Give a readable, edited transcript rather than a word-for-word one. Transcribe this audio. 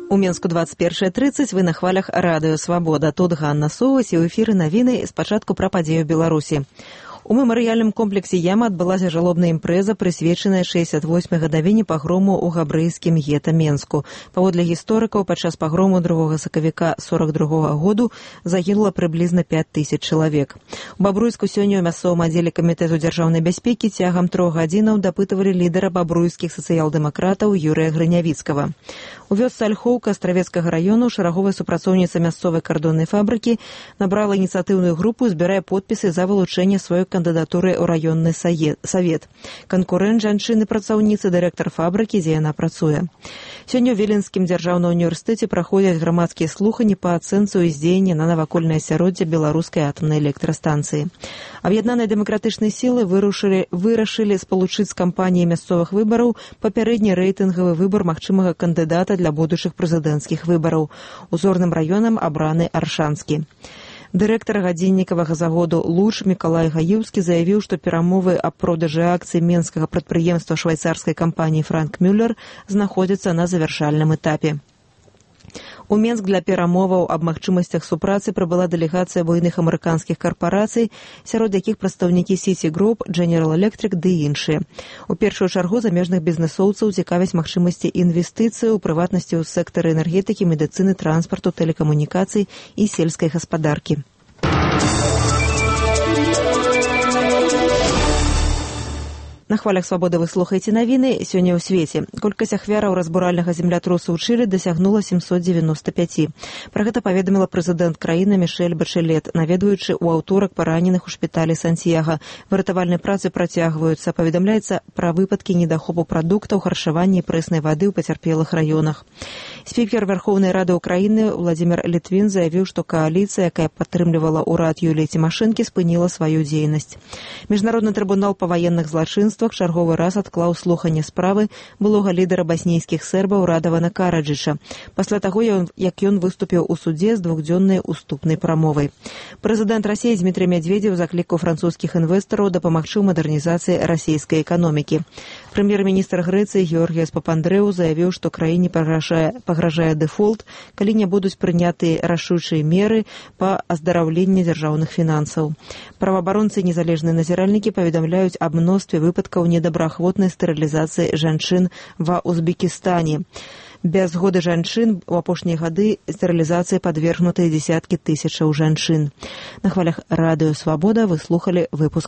У Мінску 21:30, вы на хвалях Радыё Свабода. Тут Ганна Соўвась і ў эфіры навіны спачатку пра падзею Беларусі. У мемарыяльным комплексе Яма адбылася жалобная імпрэза, прысвечаная 68-й гадавіне пагрому ў габрэйскім гета Менску. Паводле гісторыкаў, падчас пагрому 2 сакавіка 42-го году загінула прыблізна 5000 чалавек. У Бабруйску сёння ў мясцовым аддзеле камітэту дзяржаўнай бяспекі цягам 3 гадзінаў дапытывалі лідара бабруйскіх сацыял-дэмакратаў Юрыя Грынявіцкага. У вёсцы Альхоўка Астравецкага раёну шараговая супрацоўніца мясцовай кардоннай фабрыкі набрала ініцыятыўную групу і збірае подпісы за вылучэнне сваёй кандыдатуры ў раённы савет. Канкурэнт жанчыны-працаўніцы, дырэктар фабрыкі, дзе яна працуе. Сёння ў Віленскім дзяржаўным універсітэце праходзяць грамадскія слуханні па ацэнцы ўздзеяння на навакольнае асяроддзе беларускай атамнай электрастанцыі. Аб'яднаныя дэмакратычныя сілы вырашылі спалучыць з кампаніяй мясцовых выбараў папярэдні рэйтынгавы выбар магчымага кандыдата для будучых прэзідэнцкіх выбараў. Узорным раёнам абраны Аршанскі. Дырэктар гадзіннікавага заводу «Луч» Мікалай Гаіўскі заявіў, што перамовы аб продажы акцый менскага прадпрыемства швайцарскай кампаніі «Франк Мюллер» знаходзяцца на завяршальным этапе. У Менск для перамоваў аб магчымасцях супрацы прыбыла дэлегацыя буйных амерыканскіх карпарацый, сярод якіх прадстаўнікі City Group, General Electric ды іншыя. У першую чаргу замежных бізнэсоўцаў цікавяць магчымасці інвестыцый, у прыватнасці ў сектары энергетыкі, медыцыны, транспарту, тэлекамунікацый і сельскай гаспадаркі. На хвалях Свабоды вы слухаеце навіны. Сёння ў свеце. Колькасць ахвяраў разбуральнага землятрусу ў Чылі дасягнула 795. Пра гэта паведаміла прэзідэнт краіны Мішэль Бачэлет, наведваючы ў аўторак параненых у шпіталі Сантьяга. Выратавальныя працы працягваюцца. Паведамляецца пра выпадкі недахопу прадуктаў, харчавання і прэснай вады ў пацярпелых раёнах. Спікер Верховнай Рады Украіны Владзімір Літвін заявіў, што кааліцыя, якая падтрымлівала ўрад Юліі Цімашэнкі, спыніла сваю дзейнасць. Міжнародны трыбунал па ваенных злачынствах чарговы раз адклаў слуханне справы былога лідара баснійскіх сербаў Радавана Караджыча, пасля таго, як ён выступіў у судзе з двухдзённай уступнай прамовай. Прэзідэнт Расіі Дмітрый Медведзеў заклікаў французскіх інвестараў дапамагчы ў мадэрнізацыі расійскай эканомікі. Прэм'ер-міністр Грэцыі Георгіяс Папандрэу заявіў, што краіне пагражае дэфолт, калі не будуць прынятыя рашучыя меры па аздараўленні дзяржаўных фінансаў. Праваабаронцы і незалежныя назіральнікі паведамляюць аб мностве выпадкаў недобраахвотнай стэрылізацыі жанчын ва Узбекістане. Без згоды жанчын у апошнія гады стэрылізацыі падвергнутыя дзесяткі тысячаў жанчын. На хвалях Радыё Свабода вы слухалі выпуск